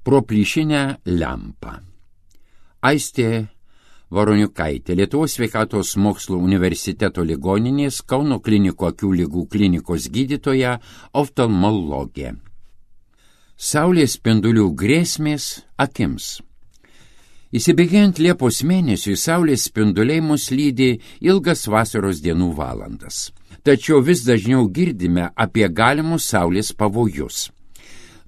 pro plyšinę lempą. Aistė Varoniukaitė, Lietuvos sveikatos mokslų universiteto ligoninės Kauno klinikų akių ligų klinikos gydytoja, oftalmologė. Saulės spindulių grėsmės akims. Įsibėgėjant Liepos mėnesiui, saulės spinduliai mus lydi ilgas vasaros dienų valandas. Tačiau vis dažniau girdime apie galimus saulės pavojus.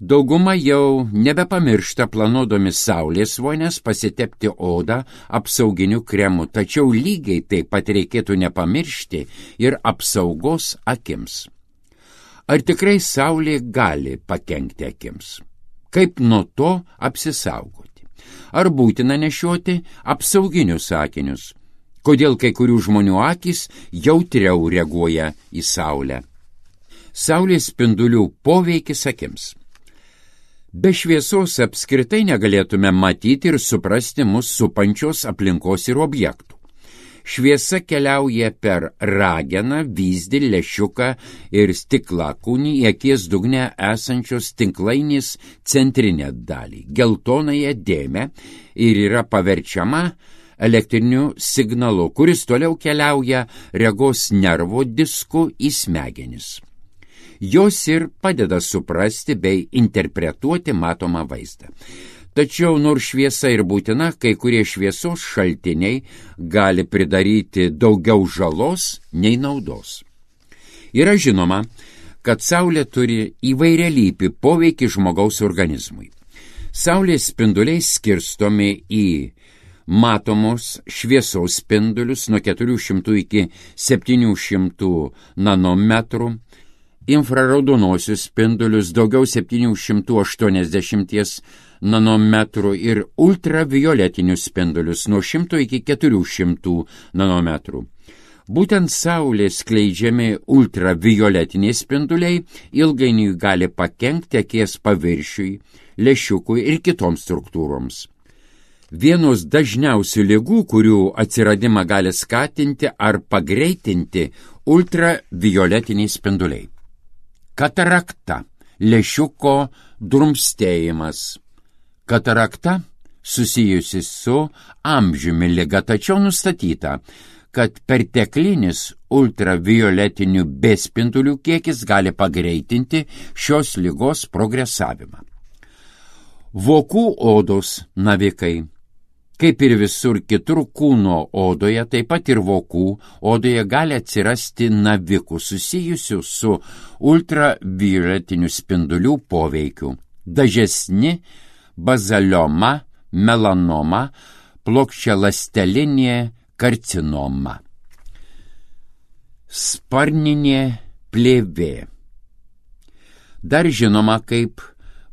Dauguma jau nebepamiršta planuodami saulės vonias pasitepti odą apsauginiu kremu, tačiau lygiai taip pat reikėtų nepamiršti ir apsaugos akims. Ar tikrai saulė gali pakenkti akims? Kaip nuo to apsisaugoti? Ar būtina nešioti apsauginius akinius? Kodėl kai kurių žmonių akys jautriau reaguoja į saulę? Saulės spindulių poveikis akims. Be šviesos apskritai negalėtume matyti ir suprasti mus supančios aplinkos ir objektų. Šviesa keliauja per rageną, vyzdį, lęšiuką ir stiklakūnį į akies dugne esančios tinklainės centrinę dalį, geltonąją dėmę, ir yra paverčiama elektriniu signalu, kuris toliau keliauja regos nervo disku į smegenis. Jos ir padeda suprasti bei interpretuoti matomą vaizdą. Tačiau nors šviesa ir būtina, kai kurie šviesos šaltiniai gali pridaryti daugiau žalos nei naudos. Yra žinoma, kad saulė turi įvairialypį poveikį žmogaus organizmui. Saulės spinduliai skirstomi į matomos šviesos spindulius nuo 400 iki 700 nanometrų, infraraudonosius spindulius daugiau 780 nanometrų ir ultravioletinius spindulius nuo 100 iki 400 nanometrų. Būtent saulės skleidžiami ultravioletiniai spinduliai ilgainiui gali pakenkti akies paviršiui, lęšiukui ir kitoms struktūroms. Vienos dažniausių ligų, kurių atsiradimą gali skatinti ar pagreitinti ultravioletiniai spinduliai. Katarakta – lęšiuko drumstėjimas. Katarakta susijusi su amžiumi liga, tačiau nustatyta, kad perteklinis ultravioletinių B spindulių kiekis gali pagreitinti šios ligos progresavimą. Vokų odos navikai. Kaip ir visur kitur kūno odoje, taip pat ir vokų odoje gali atsirasti navikų susijusių su ultravioletinių spindulių poveikiu. Dažesni bazalioma, melanoma, plokščialastelinė karcinoma. Sparninė plėvė. Dar žinoma kaip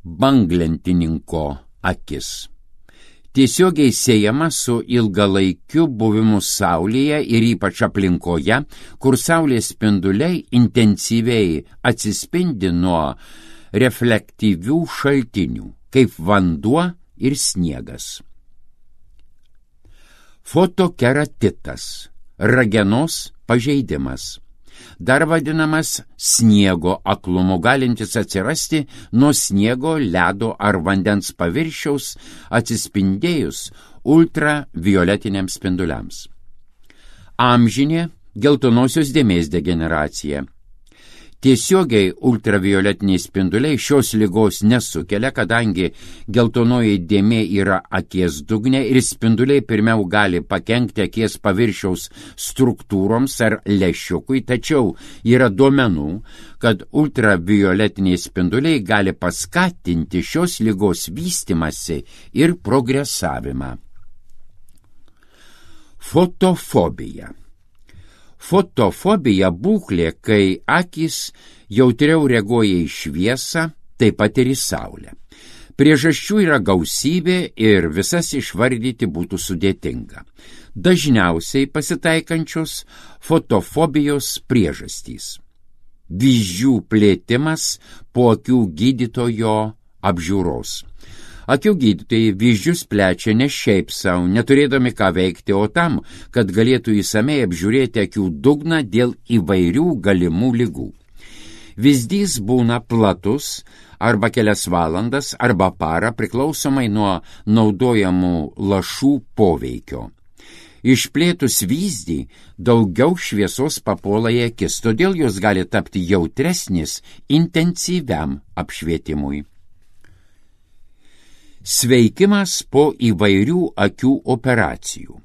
banglentininko akis. Tiesiogiai siejama su ilgalaikiu buvimu saulėje ir ypač aplinkoje, kur saulės spinduliai intensyviai atsispindi nuo reflektyvių šaltinių, kaip vanduo ir sniegas. Fotokeratitas – ragenos pažeidimas. Dar vadinamas sniego aklumu, galintis atsirasti nuo sniego, ledo ar vandens paviršiaus atsispindėjus ultravioletiniams spinduliams. Amžinė geltonosios dėmės degeneracija. Tiesiogiai ultravioletiniai spinduliai šios ligos nesukelia, kadangi geltonoji dėmė yra akies dugne ir spinduliai pirmiau gali pakenkti akies paviršiaus struktūroms ar lęšiukui, tačiau yra duomenų, kad ultravioletiniai spinduliai gali paskatinti šios ligos vystymąsi ir progresavimą. Fotofobija. Fotofobija būklė, kai akys jautriau reaguoja į šviesą, taip pat ir į saulę. Priežasčių yra gausybė ir visas išvardyti būtų sudėtinga. Dažniausiai pasitaikančios fotofobijos priežastys. Vyzdžių plėtimas po akių gydytojo apžiūros. Akių gydytojai vyzdžius plečia ne šiaip savo, neturėdami ką veikti, o tam, kad galėtų įsamei apžiūrėti akių dugną dėl įvairių galimų ligų. Vyzdys būna platus arba kelias valandas arba parą priklausomai nuo naudojamų lašų poveikio. Išplėtus vyzdį, daugiau šviesos papuola į akis, todėl jos gali tapti jautresnis intensyviam apšvietimui. Sveikimas po įvairių akių operacijų.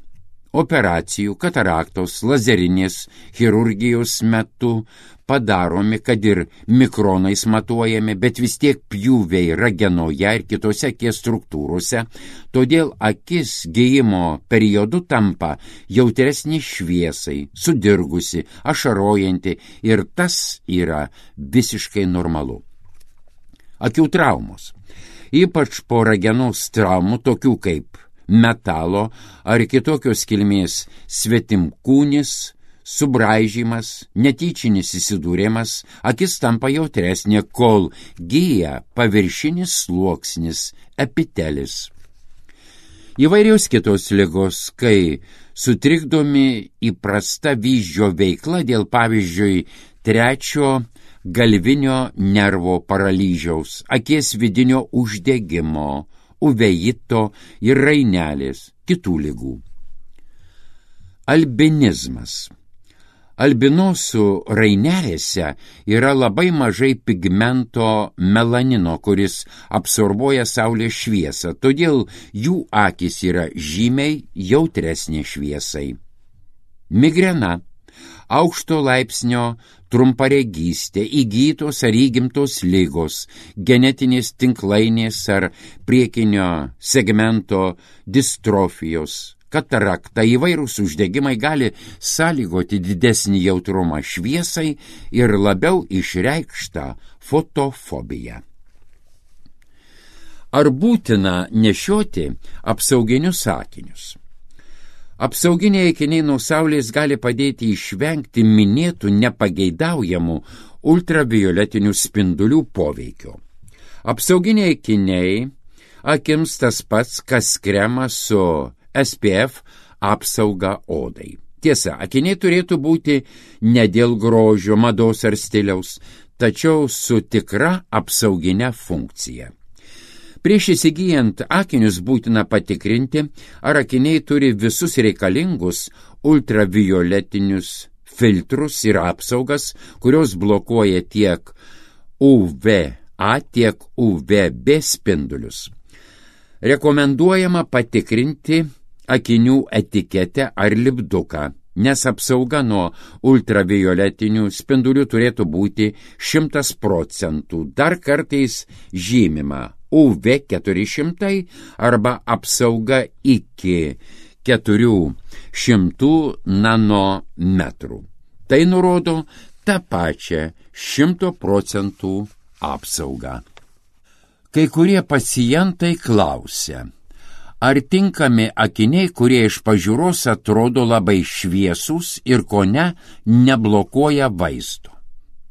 Operacijų, kataraktos, lazerinės chirurgijos metu padaromi, kad ir mikronais matuojami, bet vis tiek pjūviai ragenoje ir kitose akies struktūrose, todėl akis gijimo periodu tampa jautresnė šviesai, sudirgusi, ašarojanti ir tas yra visiškai normalu. Akių traumos. Ypač po ragenos traumų, tokių kaip metalo ar kitokios kilmės svetimkūnis, subraižymas, netyčinis įsidūrimas, akis tampa jautresnė, kol gyja paviršinis sluoksnis, epitelis. Įvairios kitos ligos, kai sutrikdomi įprasta vyzdžio veikla dėl, pavyzdžiui, trečio galvinio nervo paralyžiaus, akies vidinio uždegimo, uveito ir rainelės, kitų ligų. Albinizmas. Albinosų rainelėse yra labai mažai pigmento melanino, kuris absorbuoja saulės šviesą, todėl jų akys yra žymiai jautresnė šviesai. Migrena. Aukšto laipsnio trumparegystė, įgytos ar įgimtos ligos, genetinės tinklainės ar priekinio segmento distrofijos, katarakta, įvairūs uždegimai gali sąlygoti didesnį jautrumą šviesai ir labiau išreikštą fotofobiją. Ar būtina nešioti apsauginius akinius? Apsauginiai akiniai nuo saulės gali padėti išvengti minėtų nepageidaujamų ultravioletinių spindulių poveikio. Apsauginiai akiniai akims tas pats, kas kremas su SPF apsauga odai. Tiesa, akiniai turėtų būti ne dėl grožio, mados ar stiliaus, tačiau su tikra apsauginė funkcija. Prieš įsigyjant akinius būtina patikrinti, ar akiniai turi visus reikalingus ultravioletinius filtrus ir apsaugas, kurios blokuoja tiek UVA, tiek UVB spindulius. Rekomenduojama patikrinti akinių etiketę ar lipduką, nes apsauga nuo ultravioletinių spindulių turėtų būti 100%, dar kartais žymima UV400 arba apsauga iki 400 nanometrų. Tai nurodo tą pačią 100% apsaugą. Kai kurie pacientai klausia, ar tinkami akiniai, kurie iš pažiūros atrodo labai šviesūs ir kone neblokuoja vaizdo.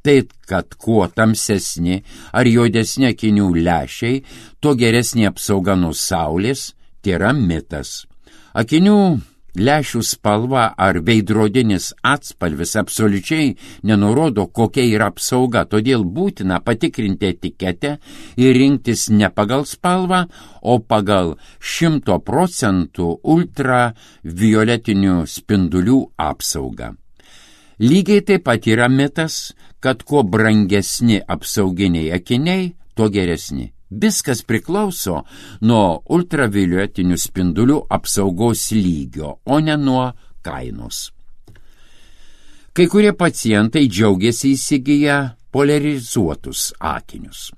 Tai, kad kuo tamsesni ar juodesni akinių lęšiai, tuo geresnė apsauga nuo saulės, tai yra mitas. Akinių lęšių spalva ar veidrodinis atspalvis absoliučiai nenurodo, kokia yra apsauga, todėl būtina patikrinti etiketę ir rinktis ne pagal spalvą, o pagal 100% ultravioletinių spindulių apsaugą. Lygiai taip pat yra mitas, kad kuo brangesni apsauginiai akiniai, tuo geresni. Viskas priklauso nuo ultravioletinių spindulių apsaugos lygio, o ne nuo kainos. Kai kurie pacientai džiaugiasi įsigiję polarizuotus akinius.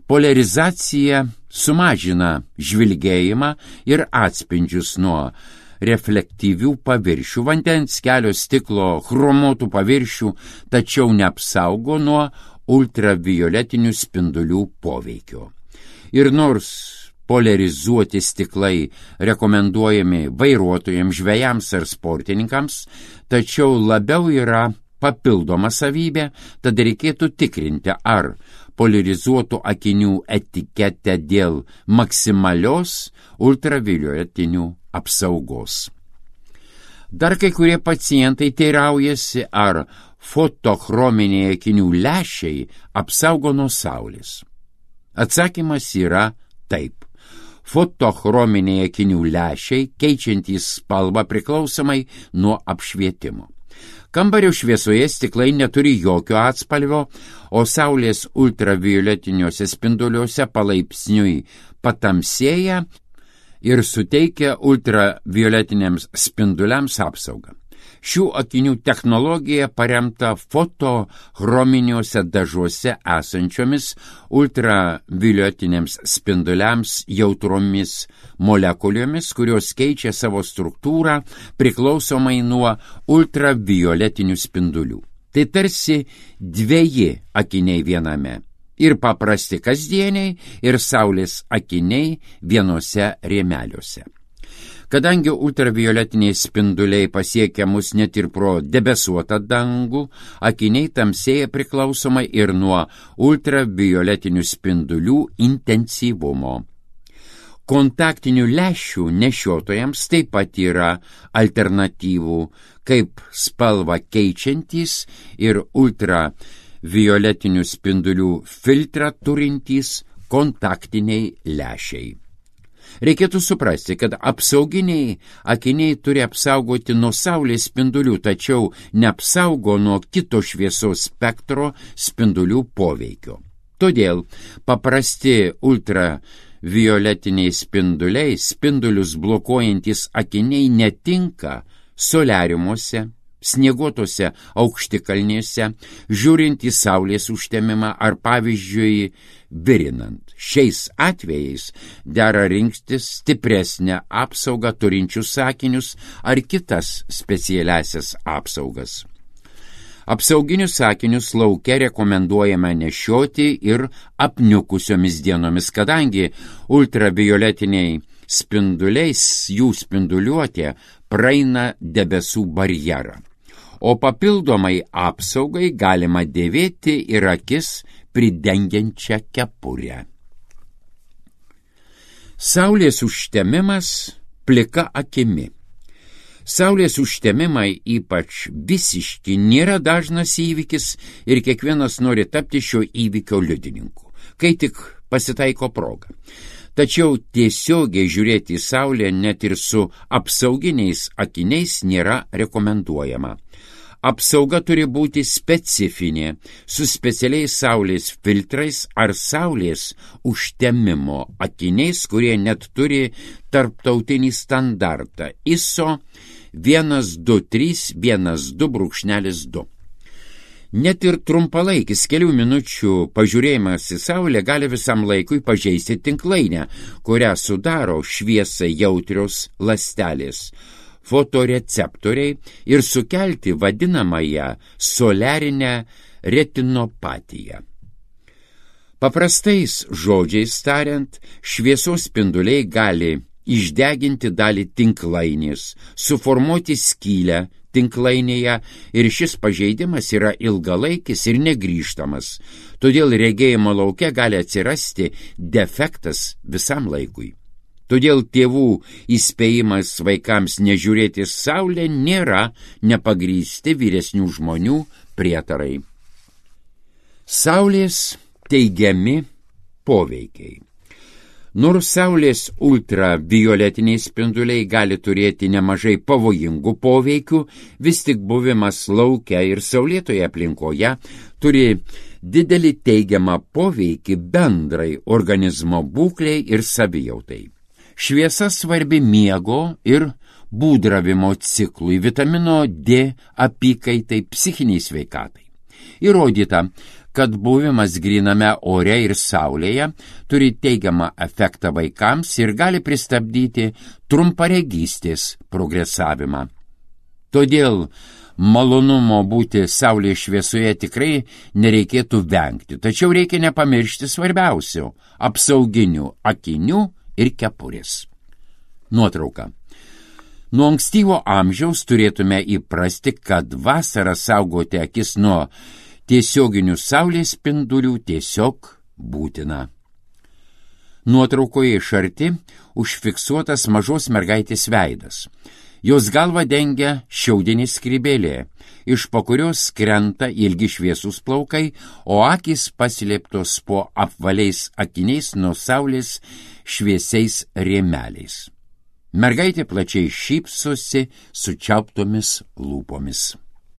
Polarizacija sumažina žvilgėjimą ir atspindžius nuo reflektyvių paviršių, vandens, kelio, stiklo, chromuotų paviršių, tačiau neapsaugo nuo ultravioletinių spindulių poveikio. Ir nors polarizuoti stiklai rekomenduojami vairuotojams, žvejams ar sportininkams, tačiau labiau yra papildoma savybė, tad reikėtų tikrinti, ar polarizuotų akinių etiketę dėl maksimalios ultravioletinių apsaugos. Dar kai kurie pacientai teiraujasi, ar fotochrominiai akinių lęšiai apsaugo nuo saulės. Atsakymas yra taip. Fotochrominiai akinių lęšiai keičiantys spalvą priklausomai nuo apšvietimo. Kambario šviesoje stiklai neturi jokio atspalvio, o saulės ultravioletiniuose spinduliuose palaipsniui patamsėja ir suteikia ultravioletiniams spinduliams apsaugą. Šių akinių technologija paremta fotochrominiuose dažuose esančiomis ultravioletiniams spinduliams jautromis molekulėmis, kurios keičia savo struktūrą priklausomai nuo ultravioletinių spindulių. Tai tarsi dveji akiniai viename. Ir paprasti kasdieniai, ir saulės akiniai vienose rėmeliuose. Kadangi ultravioletiniai spinduliai pasiekia mus net ir pro debesuotą dangų, akiniai tamsėja priklausomai ir nuo ultravioletinių spindulių intensyvumo. Kontaktinių lęšių nešiotojams taip pat yra alternatyvų, kaip spalvą keičiantys ir ultravioletinių spindulių filtrą turintys kontaktiniai lęšiai. Reikėtų suprasti, kad apsauginiai akiniai turi apsaugoti nuo saulės spindulių, tačiau neapsaugo nuo kito šviesos spektro spindulių poveikio. Todėl paprasti ultravioletiniai spinduliai, spindulius blokuojantis akiniai netinka soliariumuose, snieguotose aukštikalnėse, žiūrint į saulės užtemimą ar pavyzdžiui virinant. Šiais atvejais dera rinktis stipresnę apsaugą turinčius akinius ar kitas specialiasias apsaugas. Apsauginius akinius lauke rekomenduojama nešioti ir apniukusiomis dienomis, kadangi ultravioletiniai spinduliais jų spinduliuotė praeina debesų barjerą. O papildomai apsaugai galima dėvėti ir akis pridengiančią kepurę. Saulės užtemimas plika akimi. Saulės užtemimai, ypač visiški, nėra dažnas įvykis ir kiekvienas nori tapti šio įvykio liudininku, kai tik pasitaiko proga. Tačiau tiesiogiai žiūrėti į saulę net ir su apsauginiais akiniais nėra rekomenduojama. Apsauga turi būti specifinė, su specialiais saulės filtrais ar saulės užtemimo akiniais, kurie net turi tarptautinį standartą ISO 12312-2. Net ir trumpalaikis kelių minučių pažiūrėjimas į saulę gali visam laikui pažeisti tinklainę, kurią sudaro šviesai jautrios ląstelės, fotoreceptoriai ir sukelti vadinamąją soliarinę retinopatiją. Paprastais žodžiais tariant, šviesos spinduliai gali išdeginti dalį tinklainės, suformuoti skylę tinklainėje ir šis pažeidimas yra ilgalaikis ir negrįžtamas, todėl regėjimo lauke gali atsirasti defektas visam laikui. Todėl tėvų įspėjimas vaikams nežiūrėti saulę nėra nepagrįsti vyresnių žmonių prietarai. Saulės teigiami poveikiai. Nors saulės ultravioletiniai spinduliai gali turėti nemažai pavojingų poveikių, vis tik buvimas lauke ir saulėtoje aplinkoje turi didelį teigiamą poveikį bendrai organizmo būklei ir savijautai. Šviesa svarbi miego ir būdravimo ciklui, vitamino D apykaitai, psichiniai sveikatai. Įrodyta, kad buvimas gryname ore ir saulėje turi teigiamą efektą vaikams ir gali pristabdyti trumparegystės progresavimą. Todėl malonumo būti saulės šviesoje tikrai nereikėtų vengti, tačiau reikia nepamiršti svarbiausių – apsauginių akinių ir kepurės. Nuotrauka. Nuo ankstyvo amžiaus turėtume įprasti, kad vasarą saugoti akis nuo tiesioginių saulės spindulių tiesiog būtina. Nuotraukoje iš arti užfiksuotas mažos mergaitės veidas. Jos galva dengia šiaudinė skrybėlė, iš po kurios krenta ilgi šviesūs plaukai, o akys paslėptos po apvaliais akiniais nuo saulės šviesiais rėmeliais. Mergaitė plačiai šypsosi sučiauptomis lūpomis.